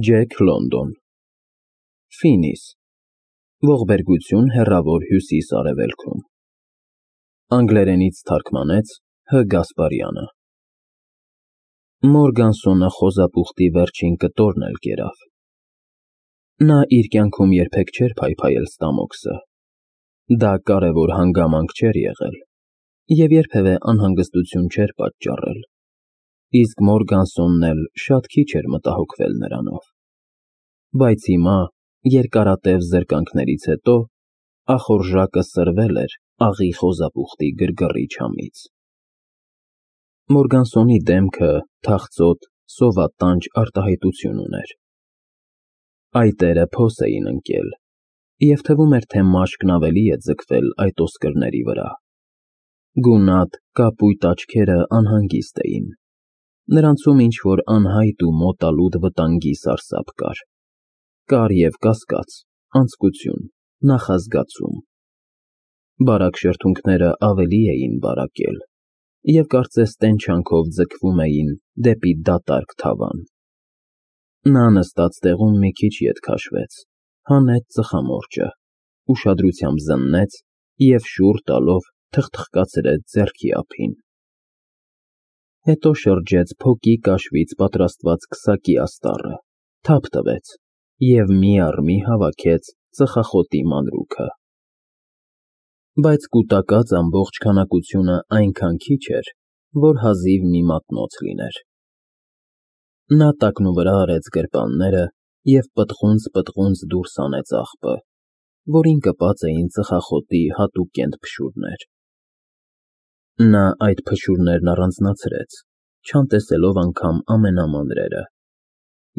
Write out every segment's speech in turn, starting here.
Ջեք Լոնդոն Ֆինիս Ողբերգություն հեռավոր հյուսիս-արևելքում Անգլերենից թարգմանեց Հ. Գասպարյանը Մորգանսոնը խոզապուխտի վերջին կտորն էլ կերավ։ Նա իր կյանքում երբեք չէր փայփայել ստամոքսը։ Դա կարևոր հանգամանք չէր եղել և երբևէ անհանգստություն չէր պատճառել, իսկ Մորգանսոնն էլ շատ քիչ էր մտահոգվել նրանով։ Բայց հիմա, երկարատև զրկանքներից հետո, ախորժակը սրվել էր աղի խոզապուխտի գրգռիչ համից։ Մորգանսոնի դեմքը թախծոտ, սովատանջ արտահայտություն ուներ։ Այտերը փոս էին ընկել, և թվում էր, թե մաշկն ավելի է ձգվել այդ ոսկրների վրա։ Գունատ, կապույտ աչքերը անհանգիստ էին։ Նրանցում ինչ-որ անհայտ ու մոտալուտ վտանգի սարսափ կար։ Կար և կասկած, անձկություն, նախազգացում։ Բարակ շրթունքները ավելի էին բարակել և կարծես տենչանքով ձգվում էին դեպի դատարկ թավան։ Նա նստած տեղում մի քիչ ետ քաշվեց, հանեց ծխամորճը, ուշադրությամբ զննեց և շուռ տալով թխթխկացրեց ձեռքի ափին։ Հետո շրջեց փոկի կաշվից պատրաստված քսակի աստառը, թափ տվեց և մի առ մի հավաքեց ծխախոտի մանրուքը։ Բայց կուտակած ամբողջ քանակությունը այնքան քիչ էր, որ հազիվ մի մատնոց լիներ։ Նա տակնուվրա արեց գրպանները և պտղունց դուրս հանեց աղբը, որին կպած էին ծխախոտի հատուկ կենտփշուրներ։ Նա այդ փշուրներն առանձնացրեց, չանտեսելով անգամ ամենամանրերը,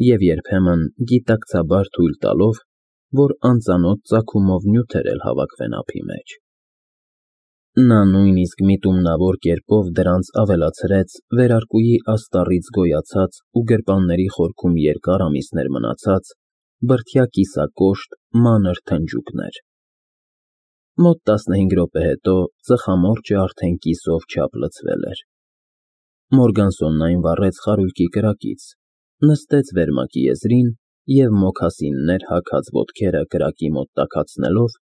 և երբեմն գիտակցաբար թույլ տալով, որ անծանոթ ծագումով նյութեր էլ հավաքվեն ափի մեջ։ Նա նույնիսկ միտումնավոր կերպով դրանց ավելացրեց վերարկուի աստառից գոյացած ու գրպանների խորքում երկար ամիսներ մնացած բրդյա կիսակոշտ, մանր թնջուկներ։ Մոտ 15 րոպե հետո ծխամորճը արդեն կիսով չափ լցվել էր։ Մորգանսոնն այն վառեց խարույկի կրակից, նստեց վերմակի եզրին և մոքասիններ հագած ոտքերը կրակի մոտ տաքացնելով,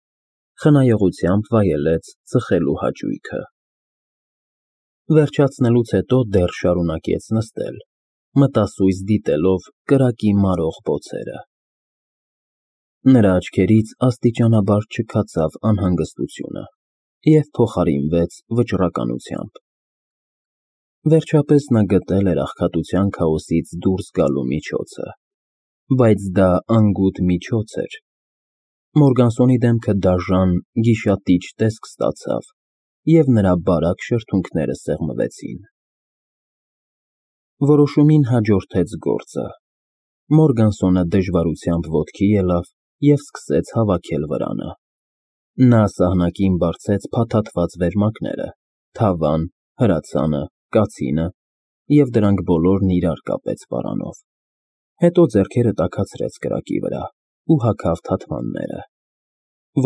խնայողությամբ վայելեց ծխելու հաճույքը։ Վերջացնելուց հետո դեռ շարունակեց նստել, մտասույզ դիտելով կրակի մարող բոցերը։ Նրա աչքերից աստիճանաբար չքացավ անհանգստությունը և փոխարինվեց վճռականությամբ։ Վերջապես նա գտել էր աղքատության քաոսից դուրս գալու միջոցը, բայց դա անգութ միջոց էր։ Մորգանսոնի դեմքը դաժան, գիշատիչ տեսք ստացավ, և նրա բարակ շրթունքները սեղմվեցին։ Որոշումին հաջորդեց գործը։ Մորգանսոնը դժվարությամբ ոտքի ելավ և սկսեց հավաքել վրանը։ Նա սահնակին բարձեց փաթաթված վերմակները, թավան, հրացանը, կացինը և դրանք բոլորն իրար կապեց պարանով։ Հետո ձեռքերը տաքացրեց կրակի վրա ու հագավ թաթվանները։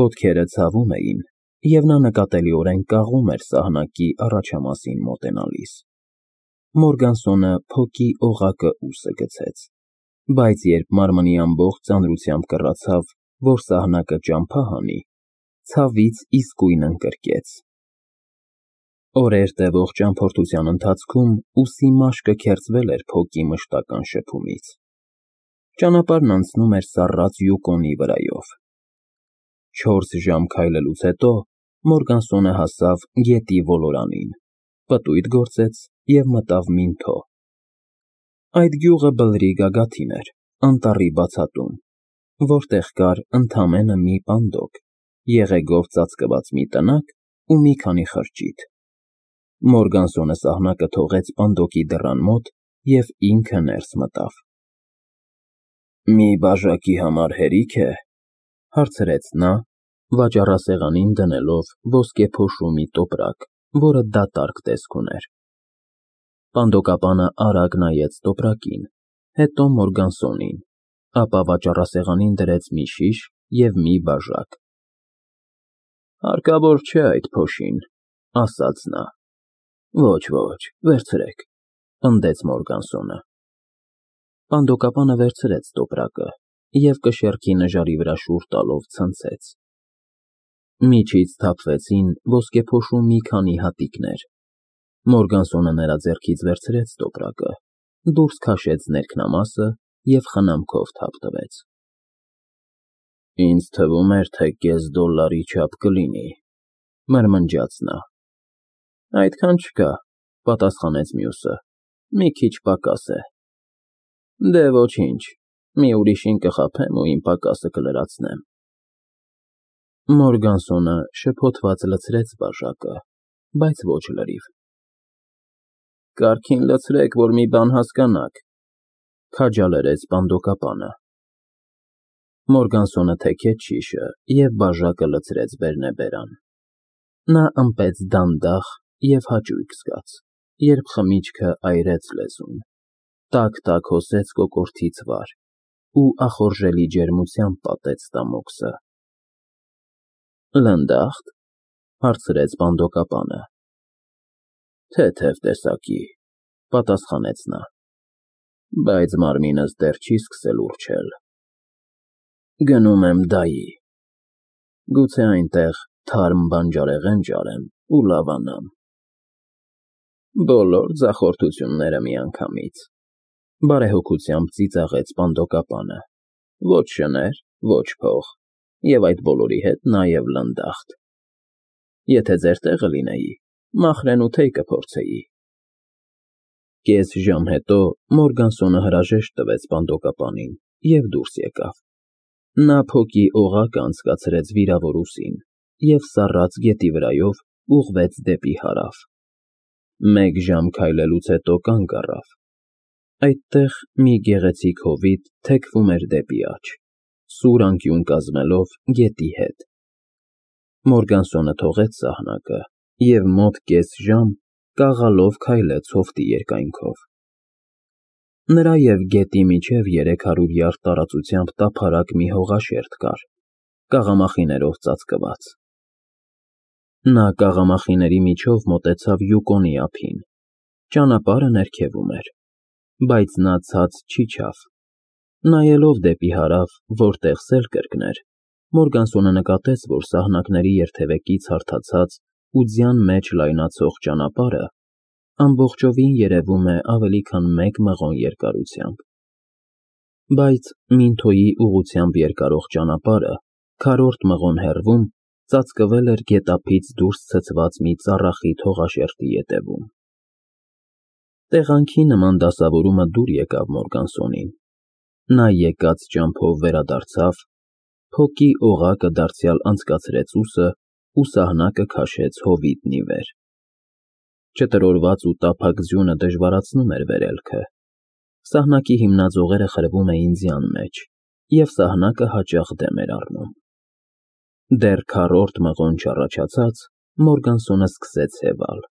Ոտքերը ցավում էին, և նա նկատելիորեն կաղում էր սահնակի առաջամասին մոտենալիս։ Մորգանսոնը փոկի օղակը ուսը գցեց, բայց երբ մարմնի ամբողջ ծանրությամբ կռացավ, որ սահնակը ճամփա հանի, ցավից իսկույն ընկրկեց։ Օրեր տևող ճամփորդության ընթացքում ուսի մաշկը քերծվել էր փոկի մշտական շփումից։ Ճանապարհն անցնում էր սառած Յուկոնի վրայով։ 4 ժամ քայլելուց հետո Մորգանսոնը հասավ գետի ոլորանին, պտույտ գործեց և մտավ Մինթո։ Այդ գյուղը բլրի գագաթին էր, անտառի բացատում, որտեղ կար ընդամենը մի պանդոկ, եղեգով ծածկված մի տնակ ու մի քանի խրճիթ։ Մորգանսոնը սահնակը թողեց պանդոկի դռան մոտ և ինքը ներս մտավ։ «Մի բաժակի համար հերիք է», հարցրեց նա, վաճառասեղանին դնելով ոսկեփոշու մի տոպրակ, որը դատարկ տեսք ուներ։ Պանդոկապանը արագ նայեց տոպրակին, հետո Մորգանսոնին, ապա վաճառասեղանին դրեց մի շիշ և մի բաժակ։ «Հարկավոր չէ այդ փոշին», ասաց նա։ «Ոչ, վերցրեք», պնդեց Մորգանսոնը։ Պանդոկապանը վերցրեց տոպրակը և կշեռքի նժարի վրա շուռ տալով ցնցեց։ Միջից թափվեցին ոսկեփոշու մի քանի հատիկներ։ Մորգանսոնը նրա ձեռքից վերցրեց տոպրակը, դուրս քաշեց ներքնամասը և խնամքով թափ տվեց։ Ինձ թվում էր, թե կես դոլարի չափ կլինի, մրմնջաց նա։ Այդքան չկա, պատասխանեց մյուսը, մի քիչ պակաս է։ Դե ոչինչ, մի ուրիշին կխաբեմ ու իմ պակասը կլրացնեմ։ Մորգանսոնը շփոթված լցրեց բաժակը, բայց ոչ լրիվ։ Կարգին լցրեք, որ մի բան հասկանաք, քաջալերեց պանդոկապանը։ Մորգանսոնը թեքեց շիշը և բաժակը լցրեց բերնեբերան։ Նա ըմպեց դանդաղ և հաճույք զգաց, երբ խմիչքը այրեց լեզուն, տաք հոսեց կոկորդից վար ու ախորժելի ջերմությամբ պատեց ստամոքսը։ Լնդախտ, հարցրեց պանդոկապանը։ Թեթև տեսակի, պատասխանեց նա, բայց մարմինս դեռ չի սկսել ուռչել։ Գնում եմ դայի, գուցե այնտեղ թարմ բանջարեղեն ջարեմ ու լավանամ։ Բոլոր ձախորդությունները միանգամից, բարեհոգությամբ ծիծաղեց պանդոկապանը, ոչ շներ, ոչ փող, և այդ բոլորի հետ նաև լնդախտ։ Եթե ձեր տեղը լինեի, մախրենու թեյ կփորձեի։ Կես ժամ հետո Մորգանսոնը հրաժեշտ տվեց պանդոկապանին և դուրս եկավ։ Նա փոկի օղակը անցկացրեց վիրավոր ուսին և սառած գետի վրայով ուղղվեց դեպի հարավ։ Մեկ ժամ քայլելուց հետո կանգ առավ։ Այդտեղ մի գեղեցիկ հովիտ թեքվում էր դեպի աջ, սուր անկյուն կազմելով գետի հետ։ Մորգանսոնը թողեց սահնակը և մոտ կես ժամ կաղալով քայլեց հովտի երկայնքով։ Նրա և գետի միջև 300 յարդ տարածությամբ տափարակ մի հողաշերտ կար, կաղամախիներով ծածկված։ Նա կաղամախիների միջով մոտեցավ Յուկոնի ափին։ Ճանապարհը ներքևում էր, բայց նա ցած չիջավ։ Նայելով դեպի հարավ, որտեղ սել կրկներ, Մորգանսոնը նկատեց, որ սահնակների երթևեկից հարթացած ու ձյան մեջ լայնացող ճանապարհը ամբողջովին երևում է ավելի քան 1 մղոն երկարությամբ։ Բայց Մինթոյի ուղղությամբ երկարող ճանապարհը քառորդ մղոն հեռվում ծածկվել էր գետափից դուրս ցցված մի ծառախիտ հողաշերտի ետևում։ Տեղանքի նման դասավորումը դուր եկավ Մորգանսոնին։ Նա եկած ճամփով վերադարձավ, փոկի օղակը դարձյալ անցկացրեց ուսը ու սահնակը քաշեց հովիտն ի վեր։ Չտրորված ու տափակ ձյունը դժվարացնում էր վերելքը։ Սահնակի հիմնաձողերը խրվում էին ձյան մեջ, և սահնակը հաճախ դեմ էր առնում։ Դեռ քառորդ մղոն չառաջացած, Մորգանսոնը սկսեց հևալ։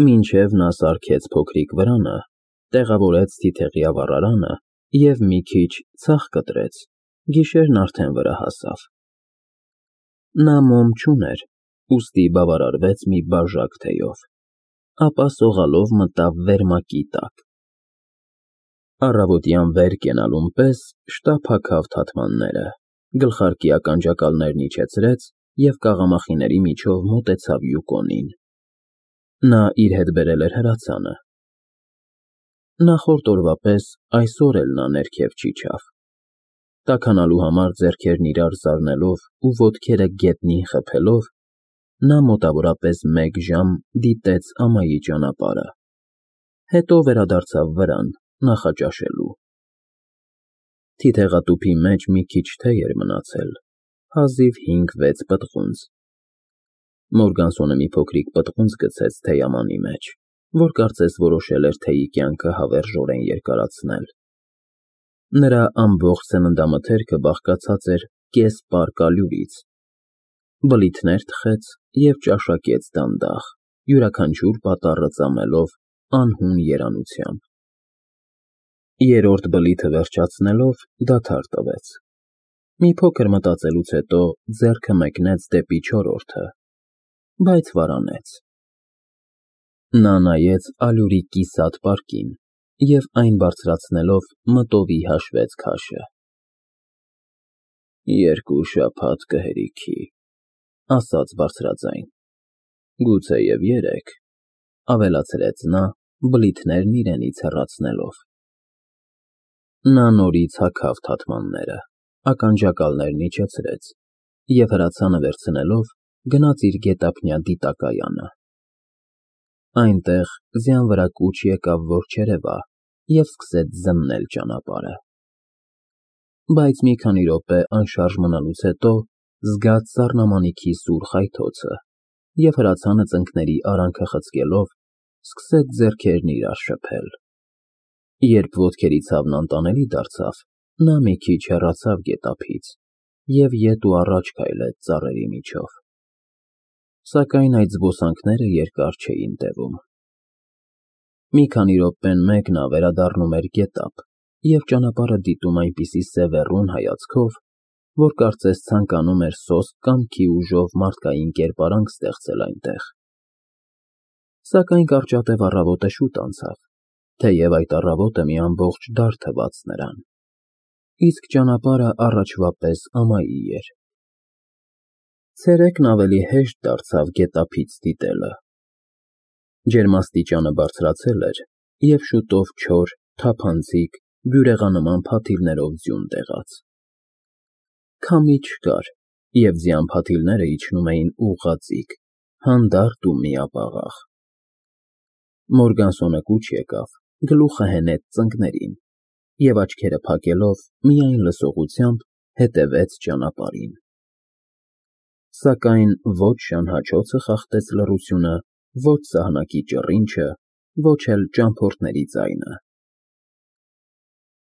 Մինչև նա սարքեց փոքրիկ վրանը, տեղավորեց թիթեղյա վառարանը և մի քիչ ցախ կտրեց, գիշերն արդեն վրա հասավ։ Նա մոմ չուներ, ուստի բավարարվեց մի բաժակ թեյով, ապա սողալով մտավ վերմակի տակ։ Առավոտյան վեր կենալուն պես շտապ հագավ թաթմանները, գլխարկի ականջակալներն իջեցրեց և կաղամախիների միջով մոտեցավ Յուկոնին։ Նա իր հետ բերել էր հրացանը։ Նախորդ օրվա պես այսօր էլ նա ներքև չիջավ։ Տաքանալու համար ձեռքերն իրար զարնելով ու ոտքերը գետնին խփելով, նա մոտավորապես 1 ժամ դիտեց ամայի ճանապարհը, հետո վերադարձավ վրան նախաճաշելու։ Թիթեղատուփի մեջ մի քիչ թեյ էր մնացել, հազիվ 5-6 պտղունց։ Մորգանսոնը մի փոքրիկ պտղունց գցեց թեյամանի մեջ, որ կարծես որոշել էր թեյի կյանքը հավերժորեն երկարացնել։ Նրա ամբողջ սննդամթերքը բաղկացած էր կես պար կալյուրից։ Բլիթներ թխեց և ճաշակեց դանդաղ, յուրաքանչյուր պատառը ծամելով անհուն երանությամբ։ Երրորդ բլիթը վերջացնելով դադար տվեց։ Մի փոքր մտածելուց հետո ձեռքը մեկնեց դեպի չորրորդը, բայց վարանեց։ Նա նայեց ալյուրի կիսատ պարկին և այն բարձրացնելով մտովի հաշվեց քաշը։ «2 շաբաթ կհերիքի», ասաց բարձրաձայն։ «Գուցեև 3», ավելացրեց նա, բլիթներն իրենից հեռացնելով։ Նա նորից հագավ թաթմանները, ականջակալներն իջեցրեց և հրացանը վերցնելով գնաց իր գետափնյա դիտակայանը։ Այնտեղ ձյան վրա կուչ եկավ, որ չերևա, և սկսեց զննել ճանապարհը։ Բայց մի քանի րոպե անշարժ մնալուց հետո զգաց սառնամանիքի սուր խայթոցը և հրացանը ծնկների արանքը խցկելով սկսեց ձեռքերն իրար շփել։ Երբ ոտքերի ցավն անտանելի դարձավ, նա մի քիչ հեռացավ գետափից և ետ ու առաջ քայլեց ծառերի միջով։ Սակայն այդ զբոսանքները երկար չէին տևում։ Մի քանի րոպեն մեկ նա վերադառնում էր գետափ և ճանապարհը դիտում այնպիսի սևեռուն հայացքով, որ կարծես ցանկանում էր սոսկ կամքի ուժով մարդկային կերպարանք ստեղծել այնտեղ։ Սակայն կարճատև առավոտը շուտ անցավ, թեև այդ առավոտը մի ամբողջ դար թվաց նրան, իսկ ճանապարհը առաջվա պես ամայի էր։ Ցերեկն ավելի հեշտ դարձավ գետափից դիտելը։ Ջերմաստիճանը բարձրացել էր, և շուտով չոր, թափանցիկ, բյուրեղանման փաթիլներով ձյուն տեղաց։ Քամի չկար, և ձյան փաթիլները իջնում էին ուղղաձիգ, հանդարտ ու միապաղաղ։ Մորգանսոնը կուչ եկավ, գլուխը հենեց ծնկներին և աչքերը փակելով միայն լսողությամբ հետևեց ճանապարհին։ Սակայն ոչ շանհաչոցը խախտեց լռությունը, ոչ սահնակի ճռինչը, ոչ էլ ճամփորդների ձայնը։